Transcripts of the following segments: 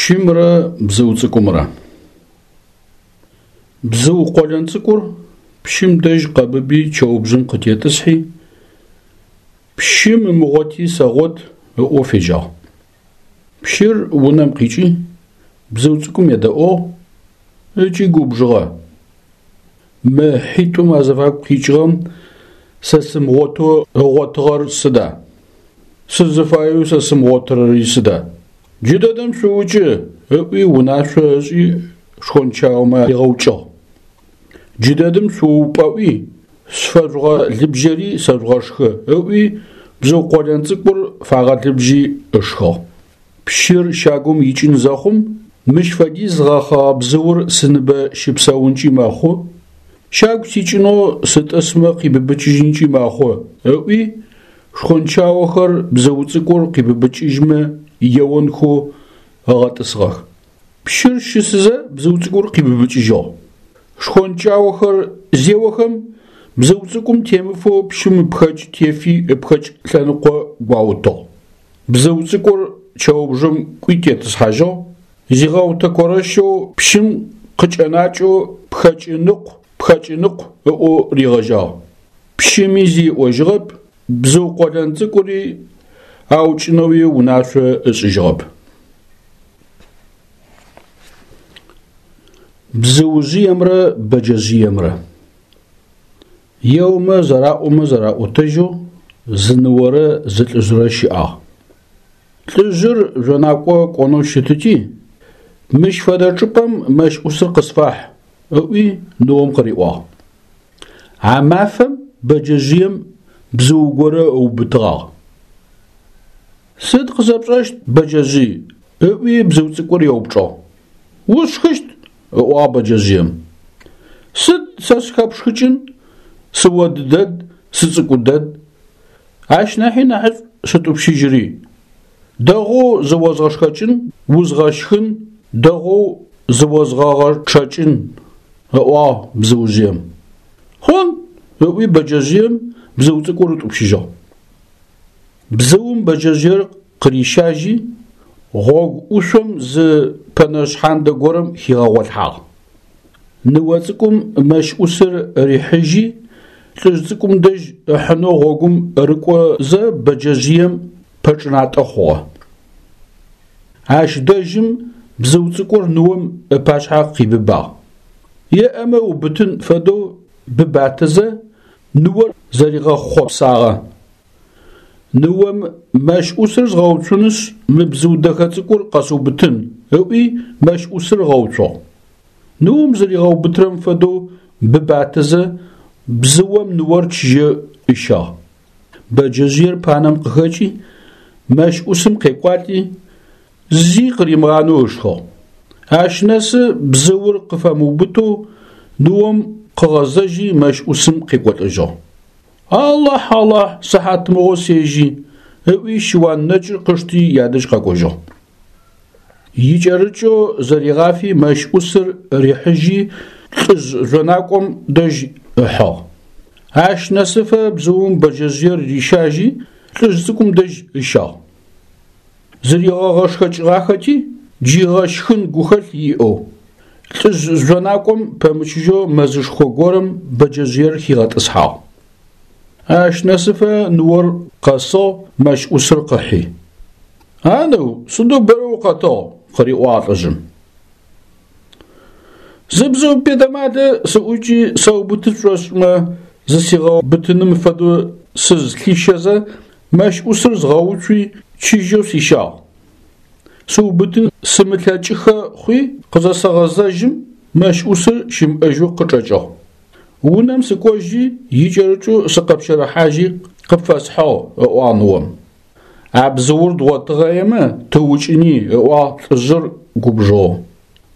Пщымрэ бзыу цӏыкӏумрэ. Бзыу къолэн цӏыкӏур пщым дэжь къэбыби чэубжъым къытетӏысхьи, пщым ымыгъоти сэгъот ыӏоу фежьагъ. Пщыр унэм къикӏи, бзыу цӏыкӏум едэӏугъ ыкӏи губжыгъэ. Мы хьитӏум азыфагу къикӏыгъэм сэ сымыгъотэу ыгъотыгъэр сыда? Сызыфаеу сэ сымыгъотырэри сыда? Джыдэдэм шъуукӏы! ыӏуи унашъо ышӏи шхончаомэ аригъэукӏыгъ. Джыдэдэм шъуупӏэӏуи, сфэжъугъэлыбжьэри сэжъугъэшхы! ыӏуи бзыу къолэн цӏыкӏур фагъэлыбжьи ышхыгъ. Пщыр щагум икӏын зэхъум, мыщ фэдиз гъэхъэгъэ бзыур сыныбэ щыпсэункӏи мэхъу, щагу сикӏынэу сытӏысмэ къибыбыкӏыжьынкӏи мэхъу, ыӏуи, шхончаохэр бзыу цӏыкӏур къибыбыкӏыжьмэ еонхэу ыгъэтӏысыгъэх. Пщыр щысызэ бзыу цӏыкӏур къибыбыкӏыжьыгъ. Шхончаохэр зеохэм, бзыу цӏыкӏум темыфэу пщым ыпхэкӏ тефи ыпхэкӏ лъэныкъо гуаутыгъ. Бзыу цӏыкӏур чэубжъым кӏуи тетӏысхьажьыгъ, зигъэутэкорэщэу пщым къыкӏэнакӏэу пхэкӏыныкъу, пхэкӏыныкъу ыӏоу ригъэжьагъ. Пщыми зи ыӏожьыгъэп, бзыу къолэн цӏыкӏури аукӏынэуи унашъо ышӏыжьыгъэп. Бзыужъыемрэ бэджэжъыемрэ. Еомэ зэраӏомэ зэраӏотэжьэу зы ныорэ зы лӏыжърэ щыӏагъ. Лӏыжъыр жъонакӏо кӏонэу щытыти, мыщ фэдэ чӏыпӏэм мэщ ӏусыр къысфахь, ыӏуи ныом къыриӏуагъ. А мафэм бэджэжъыем бзыу горэ ыубытыгъагъ. Сыд къысэпшӏэщт, бэджэжъый? ыӏуи бзыу цӏыкӏур еупчӏыгъ. Усшхыщт, ыӏуагъ бэджэжъыем. Сыд сэ схэпшхыкӏын, сыод дэд, сыцӏыкӏу дэд. Ащ нахьи нахьышӏу сытӏупщыжьыри. Дэгъоу зыозгъэшхэкӏын, узгъэшхын, дэгъоу зыозгъэгъэчъэкӏын, ыӏуагъ бзыужъыем. Хъун, ыӏуи бэджэжъыем бзыу цӏыкӏур ытӏупщыжьыгъ. Бзыум бэджэжъыер къырищажьи, гъогу ӏушъом зы пэнэ шъхьандэ горэм хигъэгъолъхьагъ. Ныо цӏыкӏум мэщ ӏусыр рихьыжьи, лӏыжъ цӏыкӏум дэжь ыхьынэу гъогум рыкӏозэ бэджэжъыем пэчӏынатӏэ хъугъэ. Ащ дэжьым бзыу цӏыкӏур ныом ыпашъхьэ къибыбагъ. Еӏэмэ ыубытын фэдэу быбатэзэ, ныор зэригъэхъопсагъэ. Ныом мэщ ӏусыр згъэуцунышъ, мы бзыу дэхэ цӏыкӏур къэсыубытын, ыӏуи мэщ ӏусыр ыгъэуцугъ. Ныом зэригъэубытырэм фэдэу быбатэзэ, бзыом ныор чыжьэ ыщагъ. Бэджэжъыер панэм къыхэкӏи, мэщ ӏусым къекӏуалӏи, зи къыримыгъанэу ышхыгъ. Ащ нэсы бзыур къыфэмыубытэу ныом къыгъэзэжьи мэщ ӏусым къекӏолӏэжьыгъ. Алахь, Алахь, сыхьатмыгъо сежьи, ыӏуи щыуан нэкӏыр къышти ядэжь къэкӏожьыгъ. Икӏэрыкӏэу зэригъафи мэщ ӏусыр рихьыжьи лӏыжъ жъонакӏом дэжь ыхьыгъ. Ащ нэсыфэ бзыум бэджэжъыер рищажьи лӏыжъ цӏыкӏум дэжь ыщагъ. Зыригъэгъэшхэкӏыгъахэти, джы ыгъэшхын гухэлъ иӏэу, лӏыжъ жъонакӏом пэмычыжьэу мэзышхо горэм бэджэжъыер хигъэтӏысхьагъ. Ащ нэсыфэ ныор къэсыгъ, мэщ ӏусыр къыхьи. А ныу, сыдэу бэрэ укъэтыгъ? къыриӏуагъ лӏыжъым. Зы бзыу бетэмалэ сыӏукӏи сэубыты сшӏошӏымэ, зысигъэубытыным фэдэу сызлъищэзэ, мэщ ӏусыр згъэуцуи, чыжьэу сищагъ. Сыубытын сымылъэкӏыхэ хъуи, къызэсэгъэзэжьым, мэщ ӏусыр щымыӏэжьэу къычӏэкӏыгъ. Унэм сыкӏожьи, икӏэрыкӏэу сыкъэпщэрыхьажьи къыпфэсхьыгъ, ыӏуагъ ныом. А бзыур дгъотыгъэемэ, тыукӏыни, ыӏуагъ лӏыжъыр губжыгъэу.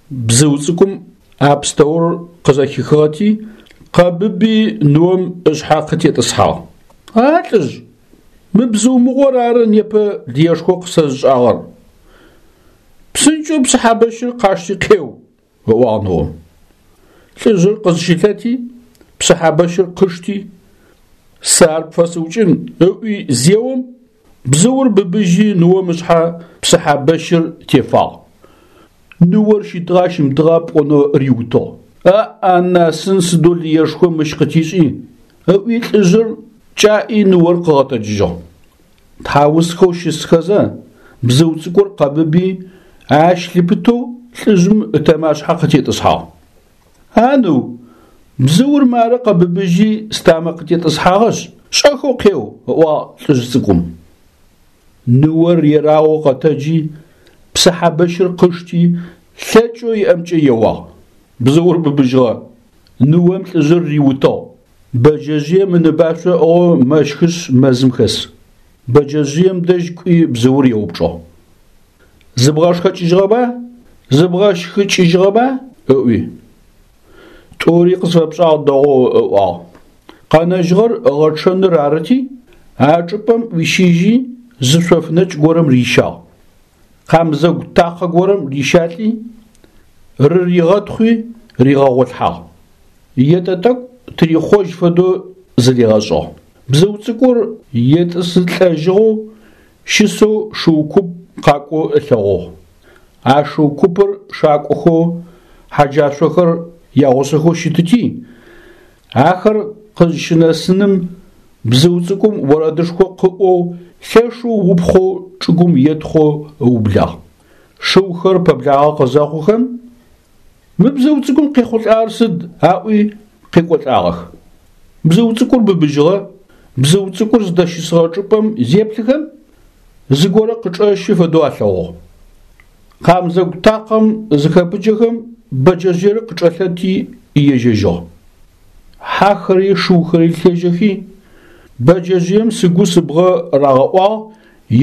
Бзыу цӏыкӏум а пстэур къызэхихыгъэти, къэбыби ныом ышъхьэ къытетӏысхьагъ. А лӏыжъ, мы бзыу мыгъор ары непэ лыешхо къысэзышӏагъэр. Псынкӏэу псыхьэбэщыр къашти къеу, ыӏуагъ ныом. Лӏыжъыр къызщылъэти, псыхьэбэщыр къышти, сэ ар пфэсыукӏын, ыӏуи зеом, бзыур быбыжьи ныом ышъхьэ псыхьэбэщыр тефагъ. Ныор щытыгъа щымытыгъа пӏонэу риутыгъ. Аӏ-анасын сыдэу лыешхо мыщ къытишӏи, ыӏуи лӏыжъыр кӏаӏи ныор къыгъэтэджыжьыгъ. Тхьаусхэу щысхэзэ, бзыу цӏыкӏур къэбыби, ащ лъыпытэу лӏыжъым ытэмашъхьэ къытетӏысхьагъ. А ныу, бзыур мары къэбыбыжьи стамэ къытетӏысхьагъэшъ, шӏэхэу къеу, ыӏуагъ лӏыжъ цӏыкӏум. Ныор ерагъэу къэтэджи, псыхьэ бэщыр къышти, лъэкӏэу иӏэмкӏэ еуагъ. Бзыур быбыжьыгъэ. Ныом лӏыжъыр риутыгъ. Бэджэжъыем ыныбашъо ыӏыгъэу мэщхышъ мэзым хэс. Бэджэжъыем дэжь кӏуи бзыур еупчӏыгъ. Зыбгъэшхэкӏыжьыгъэба? Зыбгъэшхыкӏыжьыгъэба? ыӏуи. Тӏури къысфэпшӏагъ дэгъоу ыӏуагъ. Къэнэжьыгъэр ыгъэчъэныр арыти, а чӏыпӏэм ӏуищыжьи, зы шъоф нэкӏ горэм рищагъ. Къамзэгу такъэ горэм рищалӏи, рыригъэтхъуи ригъэгъолъхьагъ. Етӏэ тӏэкӏу тырихъожь фэдэу зыригъэшӏыгъ. Бзыу цӏыкӏур етӏысылӏэжьыгъэу щысэу шыу куп къакӏоу ылъэгъугъ. А шыу купыр шакӏохэу хьэджашъохэр ягъусэхэу щытыти, ахэр къызщынэсыным бзыу цӏыкӏум орэдышхо къыӏоу лъэшэу упхъоу чӏыгум етхъоу ыублагъ. Шыухэр пэблагъэ къызэхъухэм, Мы бзыу цӏыкӏум къехъулӏагъэр сыд? аӏуи къекӏолӏагъэх. Бзыу цӏыкӏур быбыжьыгъэ. Бзыу цӏыкӏур зыдэщысыгъэ чӏыпӏэм зеплъыхэм, зыгорэ къычӏэщы фэдэу алъэгъугъ. Къамзэгу такъэм зыхэпыджэхэм бэджэжъыер къычӏэлъэти ежьэжьыгъ. Хьахэри шыухэри лъежьэхи, бэджэжъыем сыгу сыбгъэ рагъэӏуагъ,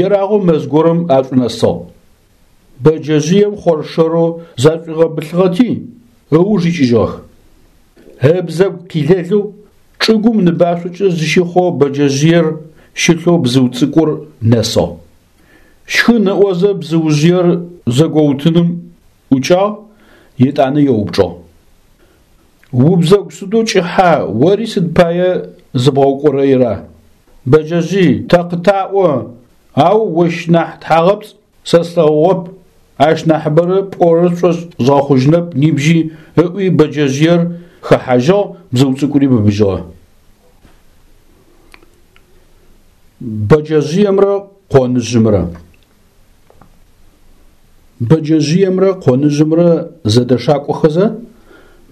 ерагъэу мэз горэм ашӏунэсыгъ. Бэджэжъыем хъоршэрэу зашӏуигъэбылъыгъэти, ыуж икӏыжьыгъэх. Ыбзэгу къилэлэу чӏыгум ныбашъокӏэ зыщихъоу бэджэжъыер щылъэу бзыу цӏыкӏур нэсыгъ. Щхын ыӏозэ бзыужъыер зэгоутыным ӏукӏагъ, етӏанэ еупчӏыгъ. Убзэгу сыдэу кӏыхьа, ори сыд пае зыбгъэукӏорэира? Бэджэжъый, тэ къытаӏо, ау ощ нахь тхьагъэпцӏ Сэ слъэгъугъэп, ащ нахьыбэрэ пӏорэр сшӏошъ згъэхъужьынэп нибжьи, ыӏуи бэджэжъыер хэхьажьыгъ, бзыу цӏыкӏури быбыжьыгъэ. Бэджэжъыемрэ къоныжъымрэ. Бэджэжъыемрэ къоныжъымрэ зэдэшакӏохэзэ,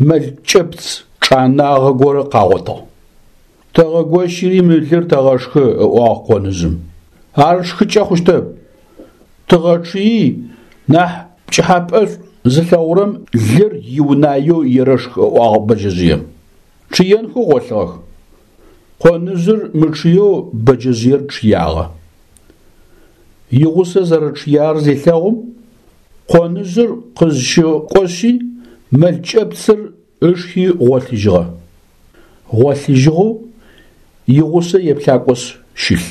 мэл кӏэпц чӏанагъэ горэ къагъотыгъ. Тэгъэгощыри мы лыр тэгъэшхы, ыӏуагъ къоныжъым. Ар шхыкӏэ хъущтэп. Тыгъэчъыи, нахь пкӏыхьапӏэшӏу зылъэгъурэм лыр иунаеу ерэшх, ыӏуагъ бэджэжъыем. Чъыенхэу гъолъыгъэх. Къоныжъыр мычъыеу бэджэжъыер чъыягъэ. Игъусэ зэрэчъыягъэр зелъэгъум, къоныжъыр къызщыкӏошъи, мэл кӏэпцыр ышхи гъолъыжьыгъэ. Гъолъыжьыгъэу игъусэ еплъакӏошъ щылъ.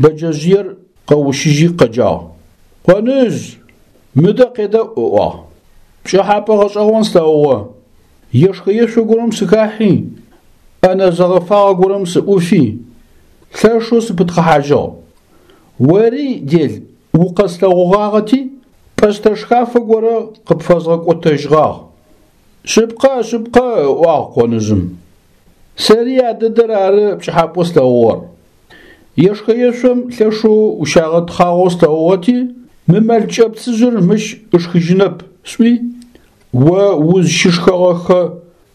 Бэджэжъыер къэущыжьи къэджагъ. Къоныжъ, мыдэ къедэӏу, ыӏуагъ. Пкӏыхьапӏэ гъэшӏэгъон слъэгъугъэ. Ешхэ-ешъо горэм сыхахьи, ӏэнэ зэгъэфагъэ горэм сыӏуфи, лъэшэу сыпытхъыхьажьыгъ. Ори, дел, укъэслъэгъугъагъэти, пӏэстэ шхафэ горэ къыпфэзгъэкӏотэжьыгъагъ. Шъыпкъэ, шъыпкъэ, ыӏуагъ къоныжъым. Сэри а дэдэр ары пкӏыхьапӏэу слъэгъугъэр. Ешхэ-ешъом лъэшэу ущагъэтхъагъэу слъэгъугъэти, мы мэл кӏэпцыжъыр мыщ ышхыжьынэп, сӏуи, о узщышхэгъэхэ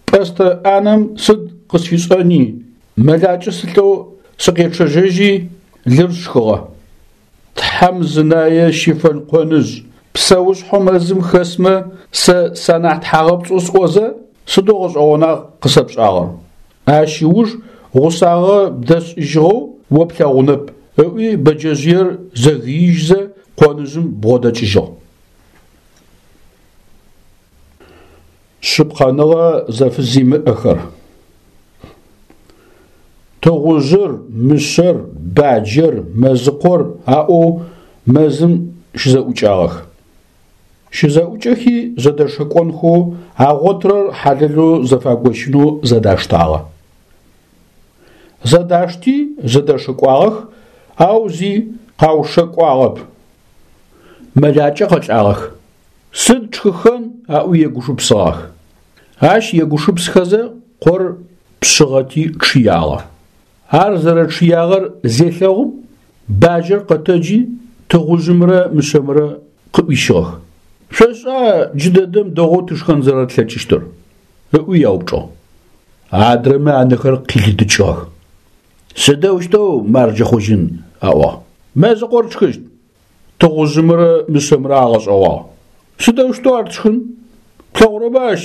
пӏэстэ ӏанэм сыд къысфишӏэни, мэлакӏэ сылӏэу сыкъечъэжьэжьи, лыр сшхыгъэ. Тхьэм зынае щифэн къоныжъ, псэушъхьэу мэзым хэсмэ сэ санахь тхьагъэпцӏэу сӏозэ, сыдэу гъэшӏэгъона къысэпшӏагъэр. Ащ ыуж гъусагъэ бдэсшӏыжьыгъэу о плъэгъунэп, ыӏуи бэджэжъыер зэгыижьзэ къоныжъым бгъодэкӏыжьыгъ. Шъыпкъэныгъэ зэфызимыӏэхэр. Тыгъужъыр, мышъэр, баджэр, мэзыкъор аӏоу мэзым щызэӏукӏагъэх. Щызэӏукӏэхи зэдэшэкӏонхэу, агъотырэр хьалэлэу зэфагощынэу зэдаштагъэ. Зэдашти зэдэшэкӏуагъэх, ау зи къаушэкӏуагъэп. Мэлакӏэ къэлӏагъэх. Сыд тшхыхэн аӏуи егушыпсыгъэх. Ащ егушыпсхэзэ къор пшъыгъэти чъыягъэ. Ар зэрэчъыягъэр зелъэгъум, баджэр къэтэджи тыгъужъымрэ мышъэмрэ къыӏуищыгъэх. Шъошӏа джыдэдэм дэгъоу тышхэн зэрэтлъэкӏыщтыр? ыӏуи яупчӏыгъ. Адрэмэ анэхэр къилыдыкӏыгъэх. Сыдэущтэу марджэ хъужьын? аӏуагъ. Мэзыкъор тшхыщт. Тыгъужъымрэ мышъэмрэ агъэшӏэгъуагъ. Сыдэущтэу ар тшхын? Плъэгъурэба ащ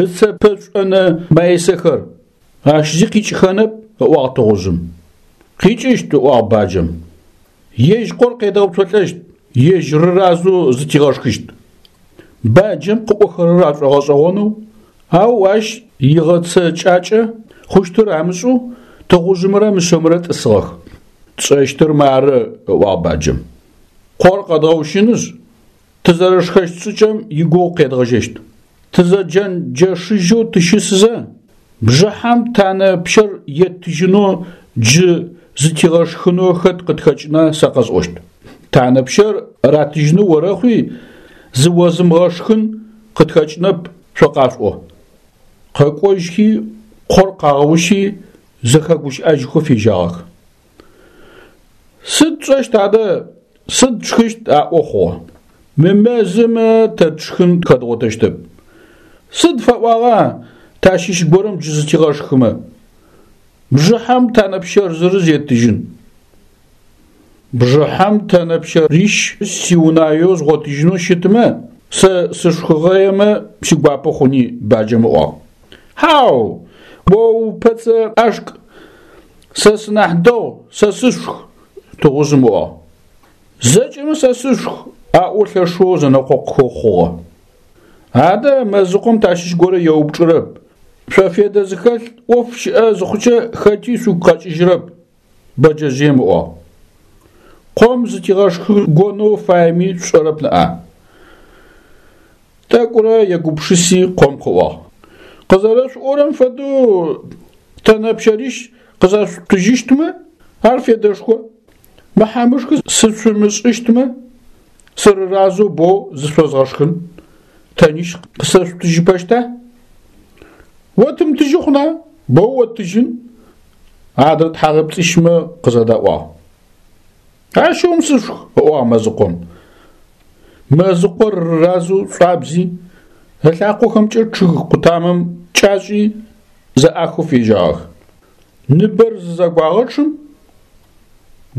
ыцэ пэшӏонэ маисэхэр? Ащ зи къикӏыхэнэп, ыӏуагъ тыгъужъым. Къикӏыщт, ыӏуагъ баджэм. Ежь къор къедгъэуцолӏэщт, ежь рыразэу зытигъэшхыщт. Баджэм къыӏохэрэр ашӏогъэшӏэгъонэу, ау ащ игъэцэкӏакӏэ хъущтыр амышӏэу тыгъужъымрэ мышъэмрэ тӏысыгъэх. Тшӏэщтыр мары, ыӏуагъ баджэм. Къор къэдгъэущынышъ, тызэрэшхэщт шӏыкӏэм игугъу къедгъэжьэщт. Тызэджэнджэшыжьэу тыщысызэ, бжыхьэм танэ пщэр еттыжьынэу джы зытигъэшхынэу хэт къытхэкӏына сэ къэсӏощт. Танэ пщэр ратыжьынэу орэхъуи, зыозымыгъэшхын къытхэкӏынэп шъо къашъуӏо. Къэкӏожьхи, къор къагъэущи, зэхэгущыӏэжьхэу фежьагъэх. Сыд тшӏэщт адэ, сыд тшхыщт аӏо хъугъэ. Мы мэзым тэ тшхын хэдгъотэщтэп. Сыд фэӏуагъа тащыщ горэм джы зытигъэшхымэ? Бжыхьэм танэ пщэр зырыз еттыжьын. Бжыхьэм тэнэ пщэрищ сиунаеу згъотыжьынэу щытмэ, сэ сышхыгъэемэ сигуапэ хъуни, баджэм ыӏуагъ. Хьау, о упэцэ ӏашк, сэ сынахь дэгъу, сэ сышх, тыгъужъым ыӏуагъ. Зэкӏэмэ сэ сышх, аӏоу лъэшэу зэнэкъокъухэу хъугъэ. Адэ мэзыкъом тащыщ горэ еупчӏырэп. Шъо федэ зыхэлъ ӏоф щыӏэ зыхъукӏэ хэти шъугу къэкӏыжьырэп. Бэджэжъыем ыӏуагъ. Къом зытигъэшхыгонэу фаеми шъушӏэрэп ныӏа? Тӏэкӏурэ егупшыси къом къыӏуагъ. Къызэрэшъуӏорэм фэдэу тэнэ пщэрищ къызэшъутыжьыщтмэ, ар федэшхо. Мыхьамышхы сышъумышӏыщтмэ, сырыразэу боу зышъозгъэшхын. Тэнищ къысэшъутыжьыпэщта? Отымытыжьы хъуна, боу оттыжьын. Адрэ тхьагъэпцӏищмэ къызэдаӏуагъ. Ащыгъум сышъушх, ыӏуагъ мэзыкъом. Мэзыкъор рыразэу шӏуабзи, ылъакъохэмкӏэ чъыг къутамэм кӏашӏи, зэӏахэу фежьагъэх. Ныбэр зызэгуагъэчъым,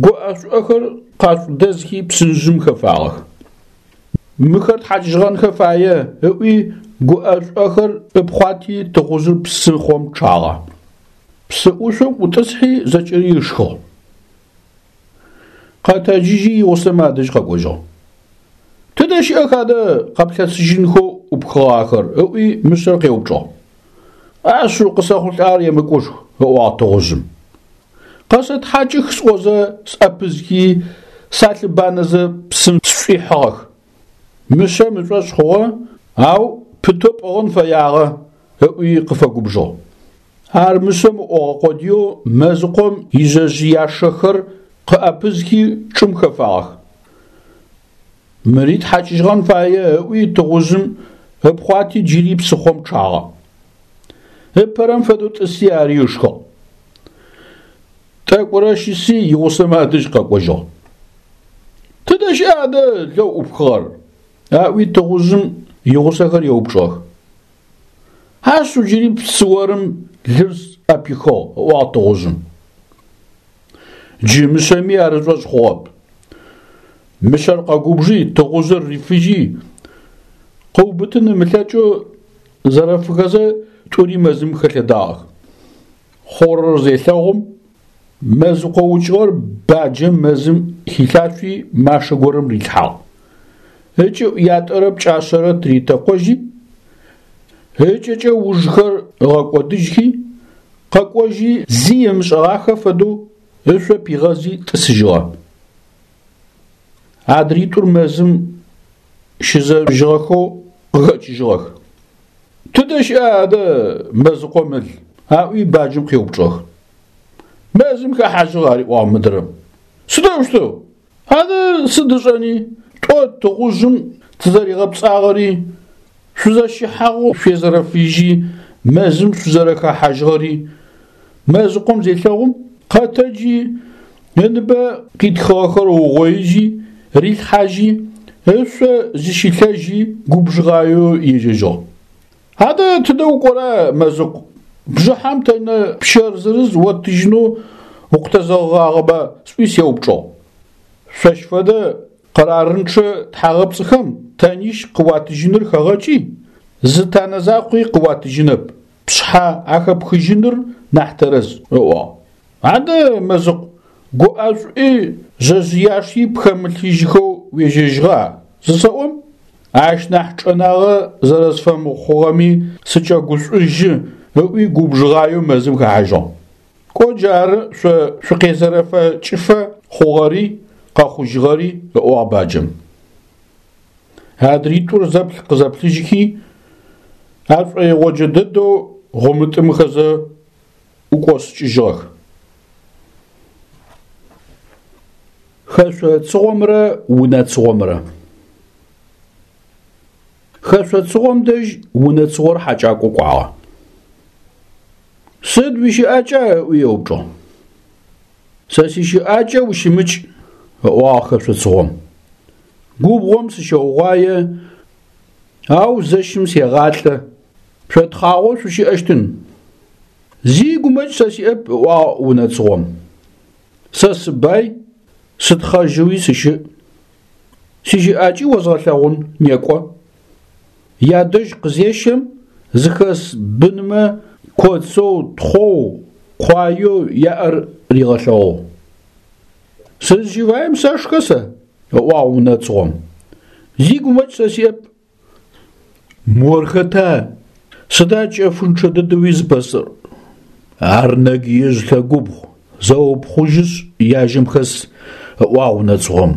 гуӏэ-шӏуӏэхэр къашӏудэзхи псынжъым хэфагъэх. Мыхэр тхьакӏыжьыгъэнхэ фае, ыӏуи гуӏэ-шӏуӏэхэр ыпхъуати тыгъужъыр псыхъом чъагъэ. Псы ӏушъом ӏутӏысхьи зэкӏэри ышхыгъ. Къэтэджыжьи игъусэмэ адэжь къэкӏожьыгъ. Тыдэ щыӏэх адэ къэплъэсыжьынхэу ӏупхыгъахэр? ыӏуи мышъэр къеупчӏыгъ. Ашъыу къысэхъулӏагъэр емыкӏушху, ыӏуагъ тыгъужъым. Къэсэтхьакӏых сӏозэ сӏэпызхи, салъыбанэзэ псым сшӏуихьыгъэх. Мышъэм ышӏошъ хъугъэ, ау пытэу пӏыгъын фэягъэ, ыӏуи къыфэгубжыгъ. Ар мышъэм ыӏогъэ къодыеу мэзыкъом ижъэжъыяшэхэр къыӏэпызхи чӏым хэфагъэх. Мыри тхьакӏыжьыгъэн фае, ыӏуи тыгъужъым ыпхъуати джыри псыхъом чъагъэ. Ыпэрэм фэдэу тӏыси ари ышхыгъ. Тӏэкӏурэ щыси игъусэмэ адэжь къэкӏожьыгъ. Тыдэ щыӏа адэ лэу ӏупхыгъэр? Аӏуи тыгъужъым игъусэхэр еупчӏыгъэх. Ашъыу джыри псыорым лыр сӏэпихыгъ, ыӏуагъ тыгъужъым. Джы мышъэми ар ышӏошъ хъугъэп. Мышъэр къэгубжи, тыгъужъыр рифыжьи, къыубытын ымылъэкӏэу зэрэфыхэзэ тӏури мэзым хэлъэдагъэх. Хъурэр зелъэгъум, мэзыкъо укӏыгъэр баджэм мэзым хилъашъуи машэ горэм рилъхьагъ. Ыкӏыӏу ятӏэрэ пкӏашъэрэ тыритэкъожьи, ыкӏэкӏэ ужхэр ыгъэкӏодыжьхи, къэкӏожьи зи ымышӏэгъахэ фэдэу ышъо пигъэзи тӏысыжьыгъэ. Адритӏур мэзым щызэжъужьыгъэхэу къыхэкӏыжьыгъэх. Тыдэ щыӏа адэ мэзыкъом ыл? Аӏуи баджэм къеупчӏыгъэх. Мэзым хэхьажьыгъ, ариӏуагъ мыдрэм. Сыдэущтэу? Адэ сыд ышӏэни, тӏо тыгъужъым тызэригъэпцӏагъэри, шъузэщыхьагъэу шъуезэрэфыжьи, мэзым шъузэрэхэхьажьыгъэри мэзыкъом зелъэгъум, къэтэджи, ыныбэ къитхыгъэхэр ыугъоижьи, рилъхьажьи, ышъо зыщилъэжьи губжыгъаеу ежьэжьыгъ. Адэ тыдэ укӏора, мэзыкъу? Бжыхьэм тэнэ пщэр зырыз оттыжьынэу укъытэзэгъыгъагъэба? сӏуи сеупчӏыгъ. Шъощ фэдэ къэрарынчъэ тхьагъэпцӏыхэм тэнищ къыуатыжьыныр хэгъэкӏи, зы танэ закъуи къыуатыжьынэп, пшъхьэ ахэпхыжьыныр нахь тэрэз, ыӏуагъ. Адэ, мэзыкъу, гуӏэшӏуи жъэжъыяши пхэмылъыжьхэу уежьэжьыгъа? зысэӏом, ащ нахь чӏэнагъэ зэрэсфэмыхъугъэми сыкӏэгушӏужьы, ыӏуи губжыгъаеу мэзым хэхьажьыгъ. Кӏо джары шъо шъукъезэрэфэкӏыфэ хъугъэри къэхъужьыгъэри, ыӏуагъ баджэм. Адритӏур зэплъ-къызэплъыжьхи, ашӏоигъоджэ дэдэу гъумытӏымыхэзэ ӏукӏосыкӏыжьыгъэх. Хэшъо цыгъомрэ унэ цыгъомрэ. Хэшъо цыгъом дэжь унэ цыгъор хьакӏакӏо кӏуагъэ. Сыд уищыӏакӏа? ыӏуи еупчӏыгъ. Сэ сищыӏакӏэ ущымыкӏ, ыӏуагъ хэшъо цыгъом. Губгъом сыщэугъуае, ау зэщым сегъалӏэ. Шъо тхъагъоу шъущыӏэщтын. Зи гумэкӏ сэ сиӏэп, ыӏуагъ унэ цыгъом. Сэ сыбай, сытхъэжьэуи сыщыӏ. Сищыӏакӏи озгъэлъэгъун, некӏо. Ядэжь къызещэм, зыхэс бынмэ коцэу, тхъоу, къуаеу яӏэр ригъэлъэгъугъ. Сызщыфаем сэшхэ сэ, ыӏуагъ унэ цыгъом. Зи гумэкӏ сэ сиӏэп. Мор хэта? Сыда чэфынчъэ дэдэуи зыпэсыр? Ар нэгыежъ лъэгубгъу, зэупхъужьышъ яжьэм хэс, ыӏуагъ унэ цыгъом.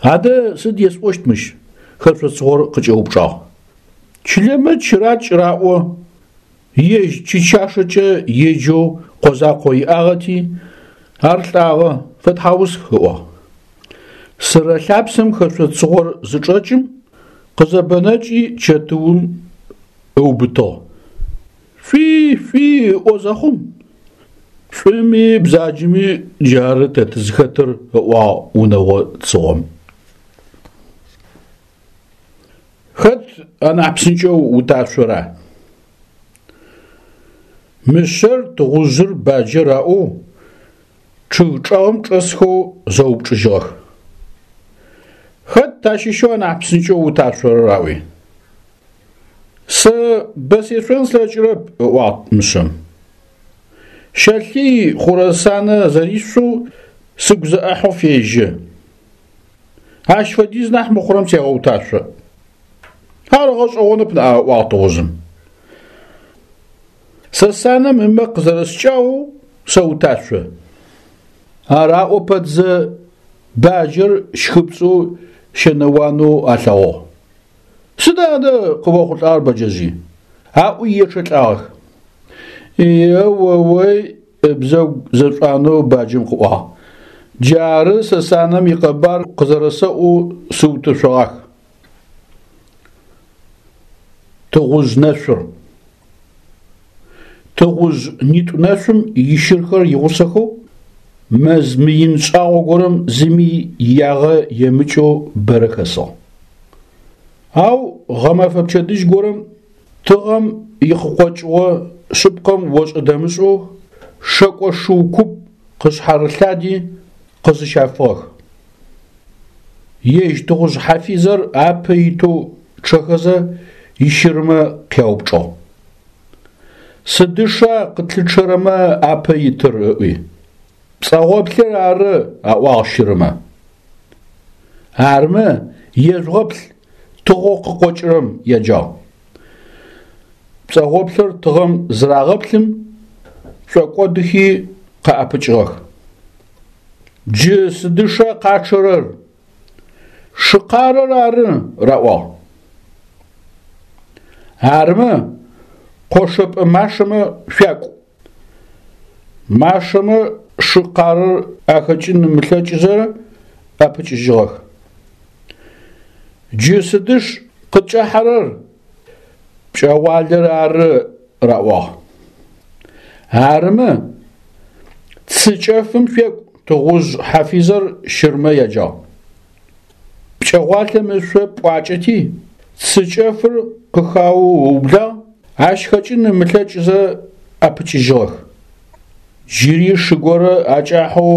Адэ сыд есӏощт мыщ? Хэшъо цыгъор къыкӏэупчӏагъ. Чылэмэ чыракӏ раӏо, ежь Чычашэкӏэ еджэу къо закъо иӏагъэти, ар лӏагъэ, фэтхьаусх, ыӏуагъ. Сырэ лъапсэм хэшъо цыгъор зычӏэкӏым, къызэбэнэкӏи чэтыум ыубытыгъ. Шъуи, шъуи ыӏо зэхъум, шӏуми бзаджэми джары тэ тызхэтыр, ыӏуагъ унэгъо цыгъом. Хэт анахь псынкӏэу уташъора? Мышъэр, тыгъужъыр, баджэр аӏоу чъыг чӏэгъым чӏэсхэу зэупчӏыжьыгъэх. Хэт тащыщэу анахь псынкӏэу уташъорэр аӏуи. Сэ бэ сешъон слъэкӏырэп, ыӏуагъ мышъэм. Щэлъый хъурэ санэ зэришъоу сыгу зэӏэхьэу фежьэ. Ащ фэдиз нахь мыхъурэм сегъэуташъо. Ар гъэшӏэгъонэп ныӏа, ыӏуагъ тыгъужъым. Сэ санэм ымэ къызэрэскӏагъэу сэуташъо. Ар аӏо пэтзэ баджэр щхыпцӏэу щэнэуанэу алъэгъугъ. Сыда адэ къыохъулӏагъэр, бэджэжъый? Аӏуи ечъэлӏагъэх. Еоой, ыбзэгу зэшӏуанэу баджэм къыӏуагъ. Джары сэ санэм икъэбар къызэрэсэӏоу сыутэшъогъах. Тыгъужъ нэшъур. Тыгъужъ нитӏу нэшъум ищырхэр игъусэхэу мэз мыин шӏагъо горэм зыми иягъэ емыкӏэу бэрэ хэсыгъ. Ау гъэмэфэ пчэдыжь горэм тыгъэм икъыкъокӏыгъо шъыпкъэм ошӏэ-дэмышӏэу шэкӏо шыу куп къышъхьарылъади къызыщафыгъэх. Ежь тыгъужъ хьафизэр апэ итэу чъэхэзэ ищырмэ къяупчӏыгъ. Сыдыша къытлъычъэрэмэ апэ итыр? ыӏуи. Пцӏэгъоплъыр ары, аӏуагъ щырмэ. Армэ, ежъугъэплъ, тыгъэу къыкъокӏырэм еджагъ. Пцӏэгъоплъыр тыгъэм зырагъэплъым, шӏокӏодыхи къаӏэпыкӏыгъэх. Джы сыдыша къачъэрэр? Шы къарэр ары, раӏуагъ. Армэ, къошэпӏэ машэмэ шъуякӏу. Машэмэ шы къарэр ахэкӏын ымылъэкӏызэ ӏэпыкӏыжьыгъэх. Джы сыдыш къыткӏэхьэрэр? Пкӏэгъуалэр ары, раӏуагъ. Арымэ, цы кӏэфым шъуекӏу, Тыгъужъ хьафизэр щырмэ яджагъ. Пкӏэгъуалэм ышъо пӏуакӏэти, цы кӏэфыр къыхаоу ыублагъ, ащ хэкӏын ымылъэкӏзэ ӏэпыкӏыжьыгъэх. Джыри шы горэ акӏахьэу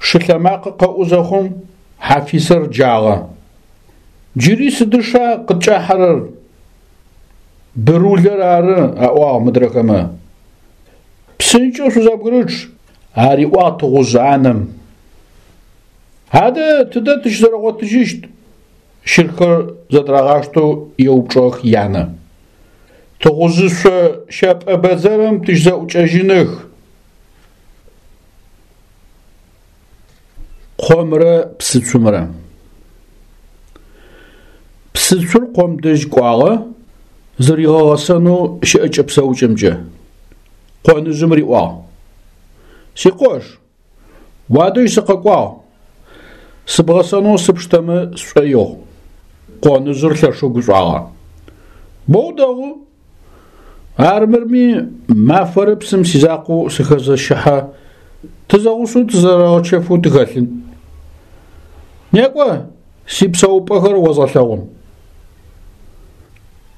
шылъэмакъэ къэӏу зэхъум, хьафизэр джагъэ. Джыри сыдыша къыткӏахьэрэр? Бырулэр ары, аӏуагъ мыдрэхэмэ. Псынкӏэу шъузэбгырычъ, ариӏуагъ тыгъужъ анэм. Адэ тыдэ тыщызэрэгъотыжьыщт? Щырхэр зэдырагъаштэу еупчӏыгъэх янэ. Тыгъужъышъо щэпӏэ бэдзэрым тыщызэӏукӏэжьыных. Къомрэ псыцумрэ. Псыцур къом дэжь кӏуагъэ, зыригъэгъэсэнэу щыӏэкӏэ-псэукӏэмкӏэ. Къоныжъым риӏуагъ: Сикъош, уадэжь сыкъэкӏуагъ, сыбгъэсэнэу сыпштэмэ сшӏоигъу. Къоныжъыр лъэшэу гушӏуагъэ. Боу дэгъу! Армырми мафэрэ псым сизакъоу сыхэзэщыхьэ, тызэгъусэу тызэрэгъэчэфэу тыхэлъын. Некӏо, сипсэупӏэхэр озгъэлъэгъун.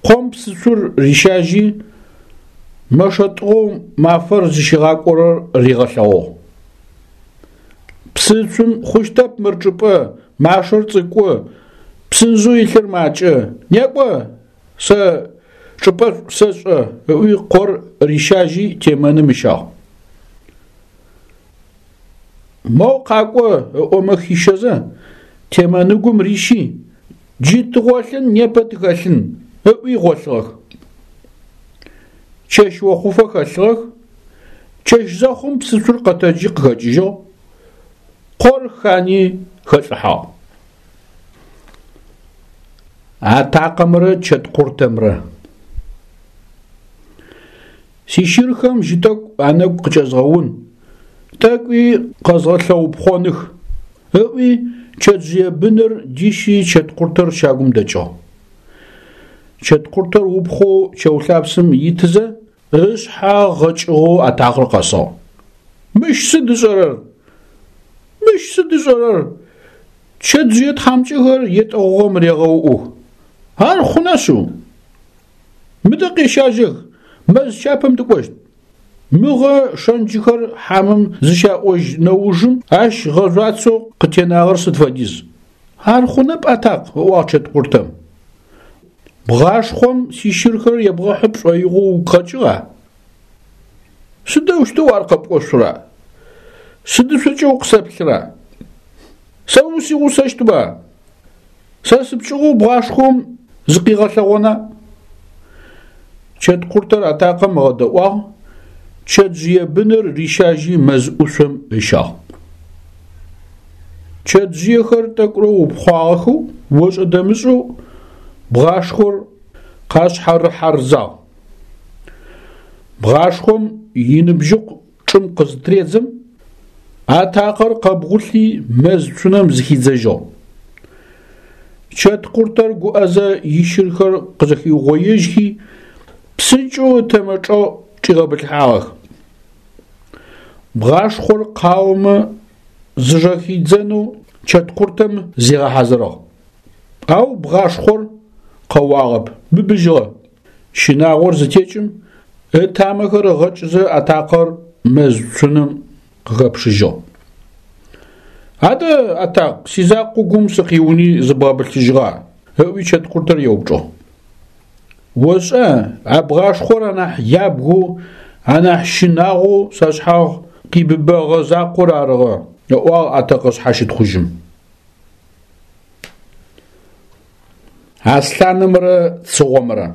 Къом псыцур рищажьи, мэшэ тӏыгъэу мафэр зыщигъакӏорэр ригъэлъэгъугъ. Псыцум хъущтэп мыр чӏыпӏэ, машэр цӏыкӏу, псынжъэу илъыр макӏэ. Некӏо, Сэ чӏыпӏэшӏу сэшӏэ, ыӏуи къор рищажьи темэным ыщагъ. Моу къакӏо ыӏомэ хищэзэ, темэныгум рищи, джы тыгъолъын непэ тыхэлъын, ыӏуи гъолъыгъэх. Чэщ охъуфэ хэлъыгъэх, чэщ зэхъум псыцур къэтэджи къыхэкӏыжьыгъ, къор хани хэлӏыхьагъ. Атакъэмрэ чэткъуртэмрэ. Сищырхэм жьы тӏэкӏу анэгу къыкӏэзгъэун, тӏэкӏуи къэзгъэлъэупхъоных, ыӏуи чэтжъые быныр дищи чэткъуртэр щагум дэкӏыгъ. Чэткъуртэр упхъоу чэу лъапсэм итызэ, ышъхьэ гъэкӏыгъэу атакъэр къэсыгъ. Мыщ сыд ышӏэрэр? Мыщ сыд ышӏэрэр? Чэтжъые тхьамыкӏэхэр етӏэгъугъэм регъэуӏух. Ар хъуна шъыу? Мыдэ къещажьэх, мэз чапэм тыкӏощт. Мыгъэ шэнджыхэр хьамэм зыщаӏожь нэужым ащ гъэжъуацэу къытенагъэр сыд фэдиз? Ар хъунэп, атакъ, ыӏуагъ чэткъуртэм. Бгъашхъом сищырхэр ебгъэхьы пшӏоигъоу угу къэкӏыгъа? Сыдэущтэу ар къэпӏошъура? Сыдышъокӏэ укъысэплъыра? Сэ усигъусэщтба? Сэ сыпкӏыгъоу бгъашхъом зыкъигъэлъэгъона? Чэткъуртэр атакъэм ыгъэдэӏуагъ, чэтжъые быныр рищажьи мэз ӏушъом ыщагъ. Чэтжъыехэр тӏэкӏурэ упхъуагъэхэу ошӏэ-дэмышӏэу бгъашхъор къашъхьарыхьарзагъ. Бгъашхъом иныбжьыкъу чӏым къызытыредзэм, атакъэр къэбгъулъи мэз цунэм зыхидзэжьыгъ. Чэткъуртэр гуӏэзэ ищырхэр къызэхиугъоежьхи, псынкӏэу ытэмэ чӏэгъ чӏигъэбылъхьагъэх. Бгъашхъор къаомэ зыжэхидзэнэу чэткъуртэм зигъэхьазырыгъ. Ау бгъашхъор къэуагъэп, быбыжьыгъэ. Щынагъор зытекӏым, ытамэхэр ыгъэкӏызэ атакъэр мэз цунэм къыхэпшыжьыгъ. Адэ, атакъ, сизакъоу гум сыкъиуни зыбгъэбылъыжьыгъа? ыӏуи чэткъуртэр еупчӏыгъ. Ошӏа, а бгъашхъор анахь ябгэу, анахь щынагъоу сашъхьагъ къибыбэгъэ закъор арыгъэ, ыӏуагъ атэкъэ шъхьащытхъужьым. Аслъанымрэ цыгъомрэ.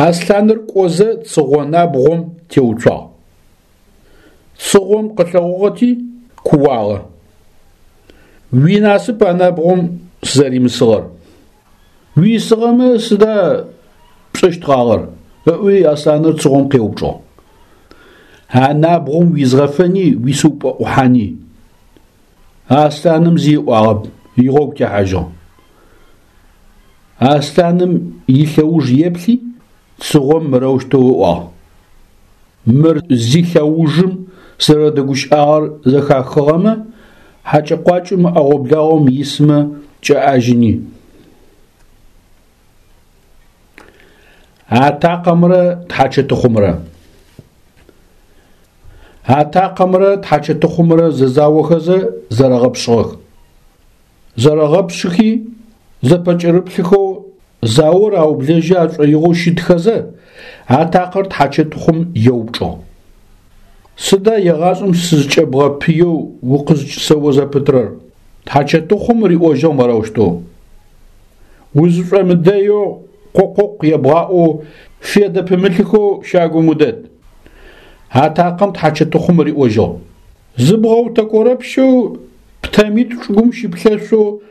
Аслъаныр кӏозэ цыгъо набгъом теуцуагъ. Цыгъом къылъэгъугъэти, кууагъэ. Уинасып а набгъом сызэримысыгъэр. Уисыгъэмэ сыда пшӏэщтгъагъэр? ыӏуи аслъаныр цыгъом къеупчӏыгъ. А набгъом уизгъэфэни уисыупӏэӏухьани. Аслъаным зи ыӏуагъэп. игъогу техьажьыгъ. Аслъаным илъэуж еплъи, цыгъом мырэущтэу ыӏуагъ: Мыр зилъэужым сызэрэдэгущыӏагъэр зэхахыгъэмэ, хьакӏэ-къуакӏэу мы ӏэгъо-благъом исмэ кӏэӏажьыни. Атакъэмрэ тхьачэтыхъумрэ. Атакъэмрэ тхьачэтыхъумрэ зэзаохэзэ зэрэгъэпшӏыгъэх. Зэрэгъэпшъыхи, зэпэкӏэрыплъыхэу заор аублэжьы ашӏоигъоу щытхэзэ, атакъэр тхьачэтыхъум еупчӏыгъ. Сыда егъашӏэм сызкӏэбгъэпыеу укъызкӏысэо зэпытрэр? Тхьачэтыхъум риӏожьыгъ мырэущтэу. Узышӏомыдэеу къо-къокъу ебгъаӏоу федэ пымылъыхэу щагум удэт. Атакъэм тхьачэтыхъум риӏожьыгъ. Зыбгъэутэкорэпщэу птэмитӏу чӏыгум щыплъэшъоу,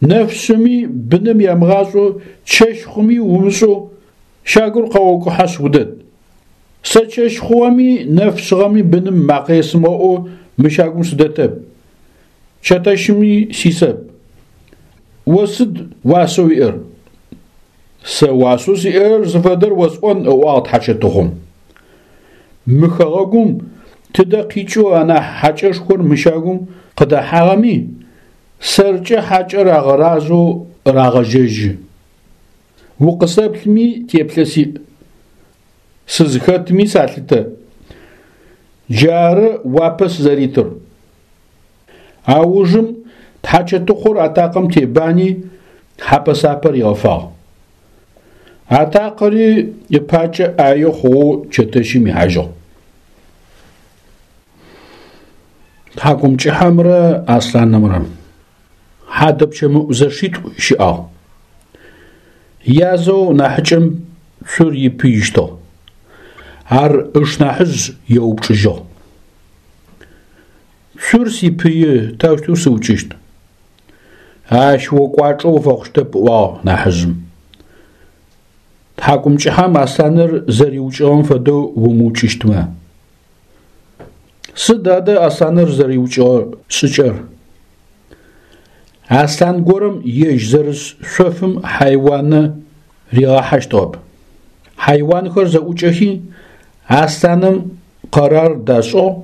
нэфшъыми быным ямыгъашӏэу, чэщ хъуми умышӏэу щагур къэокӏухьэшъ удэт. Сэ чэщ хъугъэми нэф шъыгъэми быным макъэ есымыгъэӏоу мы щагум сыдэтэп, чэтэщыми сисэп. О сыд уасэу уиӏэр? Сэ уасэу сиӏэр зыфэдэр осӏон, ыӏуагъ тхьачэтыхъум. Мы хэгъэгум тыдэ къикӏэу анахь хьакӏэшхор мы щагум къыдэхьагъэми, сэркӏэ хьакӏэр агъэразэу рагъэжьэжьы. Укъысэплъми теплъэ сиӏ, сызхэтми салъытэ. Джары уапэ сызэритыр. Аужым тхьачэтыхъур атакъэм тебани, хьапэ-сапэ ригъэфагъ. Атакъэри ыпакӏэ ӏае хъугъэу чэтэщым ихьажьыгъ. Тхьакӏумкӏыхьэмрэ аслъанымрэ. Хьадэпчэмыӏу зэшитӏу щыӏагъ. Язэу нахьыкӏэм цур ипыищтыгъ. Ар ышнахьыжъ еупчӏыжьыгъ. Цур сипыи, таущтэу сыукӏыщт? Ащ о кӏуачӏэ уфэхъущтэп, ыӏуагъ нахьыжъым. Тхьакӏумкӏыхьэм аслъаныр зэриукӏыгъэм фэдэу умыукӏыщтмэ. Сыд адэ аслъаныр зэриукӏыгъэ шӏыкӏэр? Аслъан горэм ежь зэрыс шъофым хьайуанэ ригъахьэщтыгъэп. Хьайуанхэр зэӏукӏэхи, аслъаным къэрар дашӏыгъ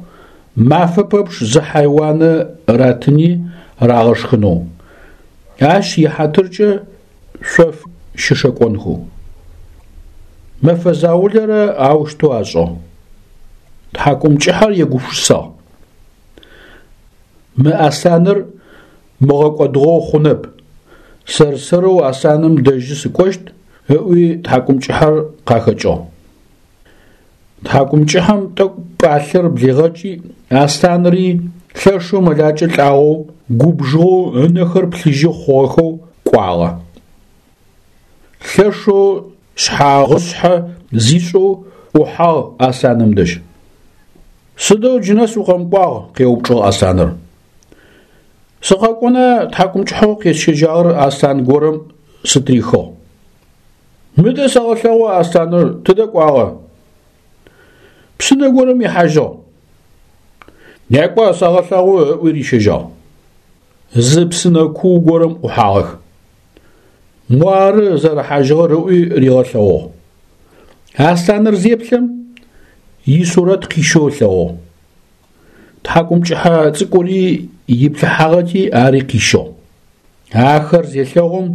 мафэ пэпчъ зы хьайуанэ ратыни рагъэшхынэу, ащ ихьатыркӏэ шъоф щышэкӏонхэу. Мэфэ заулэрэ аущтэу ашӏыгъ. Тхьакӏумкӏыхьэр егупшысагъ. Мы аслъаныр мыгъэкӏодыгъэу хъунэп, сэр-сэрэу аслъаным дэжьы сыкӏощт, ыӏуи тхьакӏумкӏыхьэр къахэкӏыгъ. Тхьакӏумкӏыхьэм тӏэкӏу пӏалъэр блигъэкӏи, аслъанри лъэшэу мэлакӏэ лӏагъэу, губжыгъэу ынэхэр плъыжьы хъугъэхэу кӏуагъэ. Лъэшэу шъхьагъышъхьэ зишӏэу ӏухьагъ аслъаным дэжь. Сыдэу джынэс укъэмыкӏуагъ? къеупчӏыгъ аслъаныр. Сыкъэкӏона тхьакӏумкӏыхьэу къесщэжьагъэр аслъан горэм сытырихыгъ. Мыдэ сэгъэлъэгъу аслъаныр тыдэ кӏуагъэ? Псынэ горэм ихьажьыгъ. Некӏо, сэгъэлъэгъу, ыӏуи рищэжьагъ. Зы псынэ куу горэм ӏухьагъэх. Муары зэрыхьажьыгъэр ыӏуи ригъэлъэгъугъ. Аслъаныр зеплъэм, исурэт къищэу ылъэгъугъ. Тхьакӏумкӏыхьэ цӏыкӏури иплъыхьагъэти ари къищыгъ. Ахэр зелъэгъум,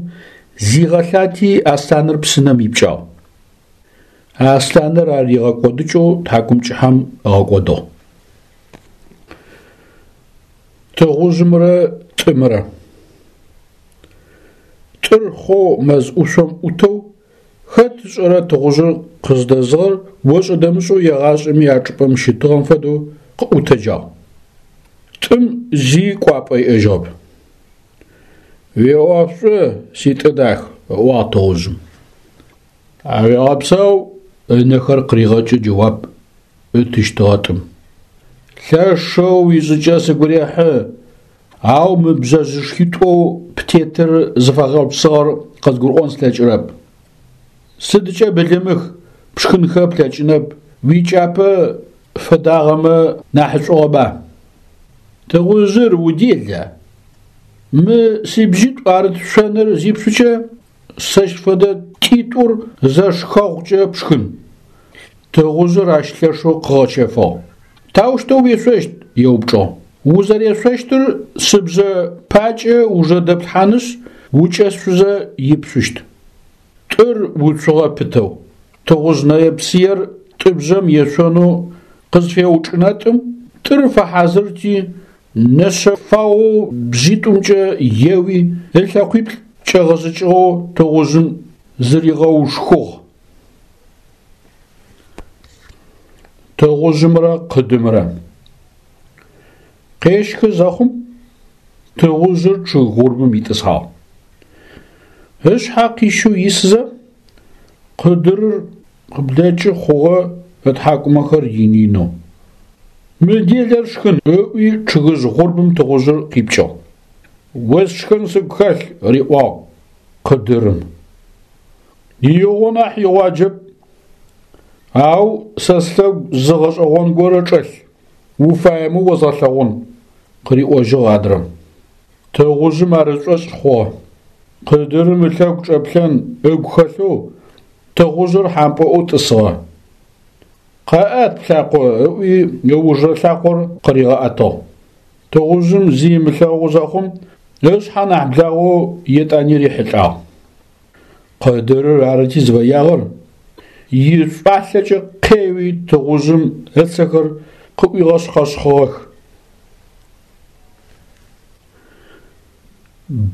зигъэлъати аслъаныр псынэм ипкӏагъ. Аслъаныр ар ригъэкӏодыкӏэу тхьакӏумкӏыхьэм ыгъэкӏодыгъ. Тыгъужъымрэ тӏымрэ. Тӏыр хъоу мэз ӏушъом ӏутэу, хэт ышӏэрэ тыгъужъыр къыздэзыгъэр ошӏэ-дэмышӏэу егъашӏэми а чӏыпӏэм щытыгъэм фэдэу къыӏутэджагъ. Тӏым зи кӏуапӏэ иӏэжьыгъэп. Уиӏоф шӏу, си тӏы дах, ыӏуагъ тыгъужъым. Тхьауегъэпсэу, ынэхэр къыригъэкӏэу джэуап ытыщтыгъэ тӏым. Лъэшэу уишӏыкӏэ сыгу рехьы, ау мы бжъэжъышхитӏоу птетыр зыфэгъэпсыгъэр къызгурыӏон слъэкӏырэп. Сыдкӏэ былымых, пшхынхэ плъэкӏынэп, уикӏапэ фэдагъэмэ нахьышӏугъэба? Тыгъужъыр удела? Мы сибжъитӏу арыт шъоныр зипшъукӏэ, сэщ фэдэ тӏитӏур зэшхэгъукӏэ пшхын. Тыгъужъыр ащ лъэшэу къыгъэчэфыгъ. Таущтэу уешъощт? еупчӏыгъ. Узэрешъощтыр сыбжъэ пакӏэ ужэ дэплъхьанышъ, укӏэшъузэ ипшъущт. Тӏыр уцугъэ пытэу. Тыгъужъ нэе-псыер тӏыбжъэм ешъонэу къызфеучӏынэтӏым, тӏыр фэхьазырти, нэшъэ фагъэу бжъитӏумкӏэ еуи, ылъэкъуиплӏ кӏэгъэзыкӏыгъэу тыгъужъым зыригъэушхугъ. Тыгъужъымрэ къыдымрэ. Къещхы зэхъум, тыгъужъыр чъыг гъурбым итӏысхьагъ. Ышъхьэ къищэу исызэ, къыдырыр къыблэкӏы хъугъэ ытхьакӏумэхэр ин-инэу. Мы делэр сшхын, ыӏуи чъыгыжъ гъурбым тыгъужъыр къипкӏыгъ. О сшхын сыгу хэлъ, риӏуагъ къыдырым. Игъо нахь игъуаджэп, ау сэ слъэгу зы гъэшӏэгъон горэ чӏэлъ, уфаемэ озгъэлъэгъун, къыриӏожьыгъ адрэм. Тыгъужъым ар ышӏошъ хъугъэ. Къыдырым ылъэгу чӏэплъэн ыгу хэлъэу тыгъужъыр хьампӏэӏоу тӏысыгъэ. Къэӏэт плъакъо, ыӏуи ыужрэ лъакъор къыригъэӏэтыгъ. Тыгъужъым зи ымылъэгъу зэхъум, ышъхьэ нахь благъэу етӏани рихьылӏагъ. Къыдырыр арыти зыфэягъэр, ишӏуалъэкӏэ къеуи тыгъужъым ыцэхэр къыӏуигъэшъхъэшъхъыгъэх.